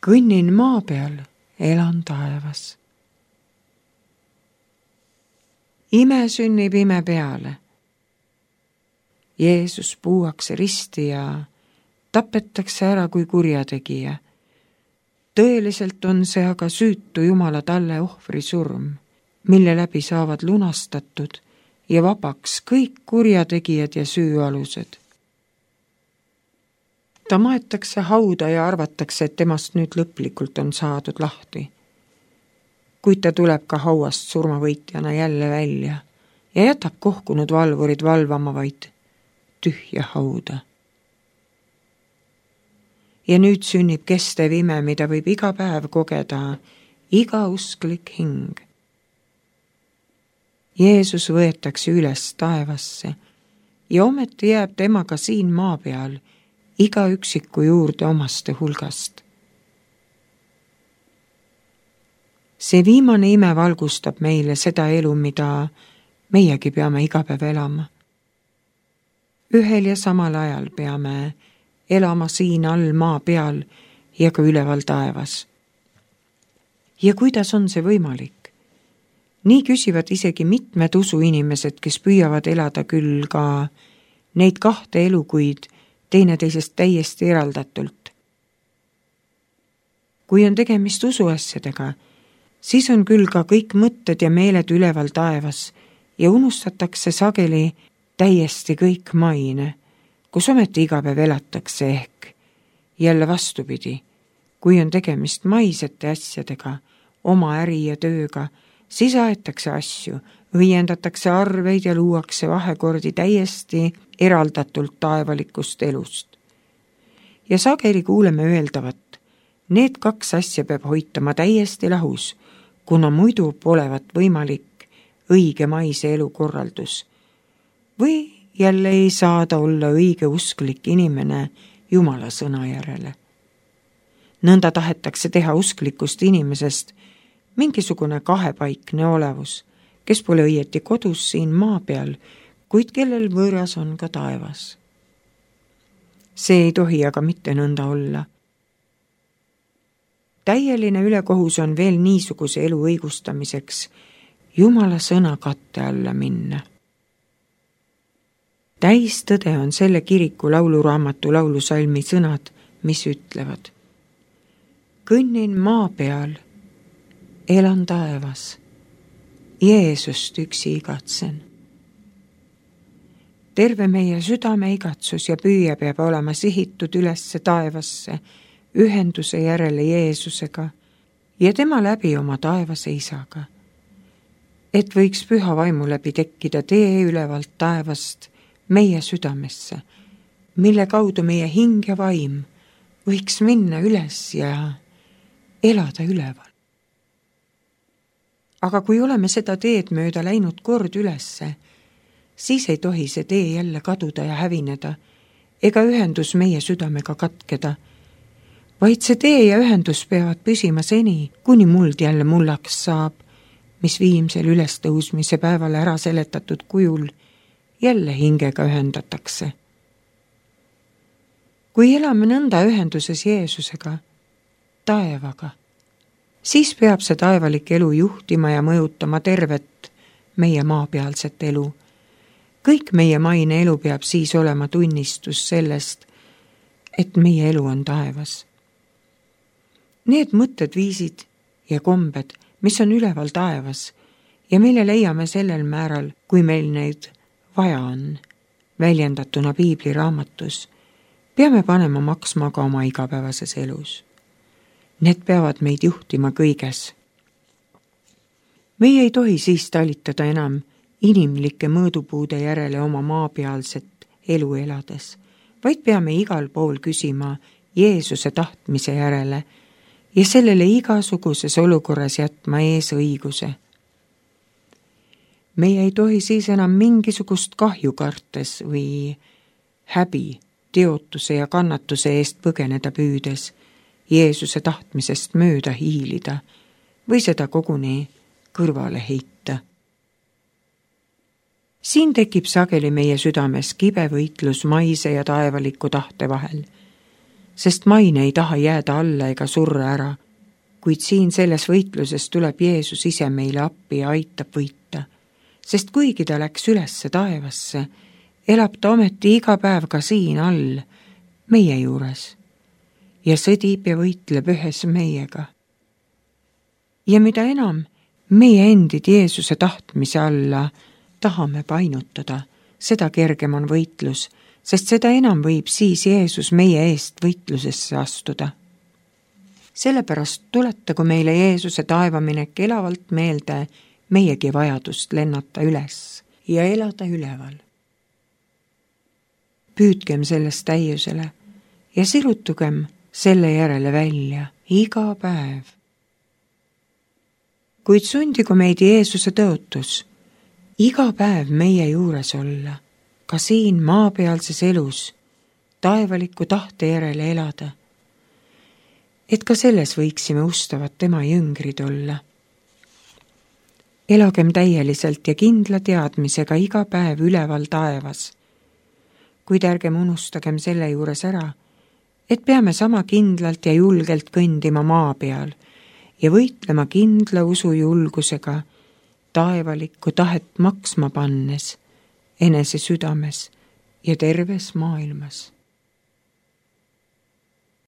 kõnnin maa peal, elan taevas. Ime sünnib ime peale. Jeesus puuakse risti ja tapetakse ära kui kurjategija. Tõeliselt on see aga süütu Jumala talle ohvri surm, mille läbi saavad lunastatud ja vabaks kõik kurjategijad ja süüalused. Ta maetakse hauda ja arvatakse, et temast nüüd lõplikult on saadud lahti. Kuid ta tuleb ka hauast surmavõitjana jälle välja ja jätab kohkunud valvurid valvama vaid tühja hauda. Ja nüüd sünnib kestev ime, mida võib iga päev kogeda iga usklik hing. Jeesus võetakse üles taevasse ja ometi jääb temaga siin maa peal iga üksiku juurde omaste hulgast. See viimane ime valgustab meile seda elu, mida meiegi peame iga päev elama. Ühel ja samal ajal peame elama siin all maa peal ja ka üleval taevas. Ja kuidas on see võimalik? Nii küsivad isegi mitmed usuinimesed, kes püüavad elada küll ka neid kahte elu, kuid teineteisest täiesti eraldatult. Kui on tegemist usuasjadega, siis on küll ka kõik mõtted ja meeled üleval taevas ja unustatakse sageli täiesti kõik maine, kus ometi iga päev elatakse ehk. Jälle vastupidi, kui on tegemist maisete asjadega, oma äri ja tööga, siis aetakse asju, õiendatakse arveid ja luuakse vahekordi täiesti eraldatult taevalikust elust. Ja sageli kuuleme öeldavat, need kaks asja peab hoitama täiesti lahus, kuna muidu polevat võimalik õige maise elukorraldus. Või jälle ei saada olla õige usklik inimene Jumala sõna järele. Nõnda tahetakse teha usklikust inimesest mingisugune kahepaikne olevus, kes pole õieti kodus siin maa peal, kuid kellel võõras on ka taevas. See ei tohi aga mitte nõnda olla. Täieline ülekohus on veel niisuguse elu õigustamiseks Jumala sõna katte alla minna. Täistõde on selle kiriku lauluraamatu laulusalmi sõnad, mis ütlevad: kõnnin maa peal, elan taevas, Jeesust üksi igatsen. Terve meie südame igatsus ja püüe peab olema sihitud ülesse taevasse, ühenduse järele Jeesusega ja tema läbi oma taevase isaga. Et võiks püha vaimu läbi tekkida tee ülevalt taevast meie südamesse, mille kaudu meie hing ja vaim võiks minna üles ja elada üleval. Aga kui oleme seda teed mööda läinud kord ülesse, siis ei tohi see tee jälle kaduda ja hävineda, ega ühendus meie südamega katkeda, vaid see tee ja ühendus peavad püsima seni, kuni muld jälle mullaks saab, mis viimsel ülestõusmise päeval ära seletatud kujul jälle hingega ühendatakse. Kui elame nõnda ühenduses Jeesusega, taevaga, siis peab see taevalik elu juhtima ja mõjutama tervet meie maapealset elu. Kõik meie maine elu peab siis olema tunnistus sellest, et meie elu on taevas. Need mõtted, viisid ja kombed, mis on üleval taevas ja mille leiame sellel määral, kui meil neid vaja on, väljendatuna Piibli raamatus, peame panema maksma ka oma igapäevases elus. Need peavad meid juhtima kõiges. Meie ei tohi siis talitada enam inimlike mõõdupuude järele oma maapealset elu elades, vaid peame igal pool küsima Jeesuse tahtmise järele ja sellele igasuguses olukorras jätma ees õiguse. Meie ei tohi siis enam mingisugust kahju kartes või häbi, teotuse ja kannatuse eest põgeneda püüdes, Jeesuse tahtmisest mööda hiilida või seda koguni kõrvale heita. Siin tekib sageli meie südames kibe võitlus maise ja taevaliku tahte vahel. sest maine ei taha jääda alla ega surra ära, kuid siin selles võitluses tuleb Jeesus ise meile appi ja aitab võita, sest kuigi ta läks ülesse taevasse, elab ta ometi iga päev ka siin all, meie juures, ja sõdib ja võitleb ühes meiega. Ja mida enam meie endid Jeesuse tahtmise alla tahame painutada, seda kergem on võitlus, sest seda enam võib siis Jeesus meie eest võitlusesse astuda. Sellepärast tuletagu meile Jeesuse taevaminek elavalt meelde meiegi vajadust lennata üles ja elada üleval. Püüdkem sellest täiusele ja sirutugem selle järele välja iga päev. Kuid sundigu meid Jeesuse tõotus iga päev meie juures olla, ka siin maapealses elus, taevaliku tahte järele elada, et ka selles võiksime ustavad tema jüngrid olla. Elagem täieliselt ja kindla teadmisega iga päev üleval taevas, kuid ärgem unustagem selle juures ära, et peame sama kindlalt ja julgelt kõndima maa peal ja võitlema kindla usujulgusega taevalikku tahet maksma pannes, enese südames ja terves maailmas.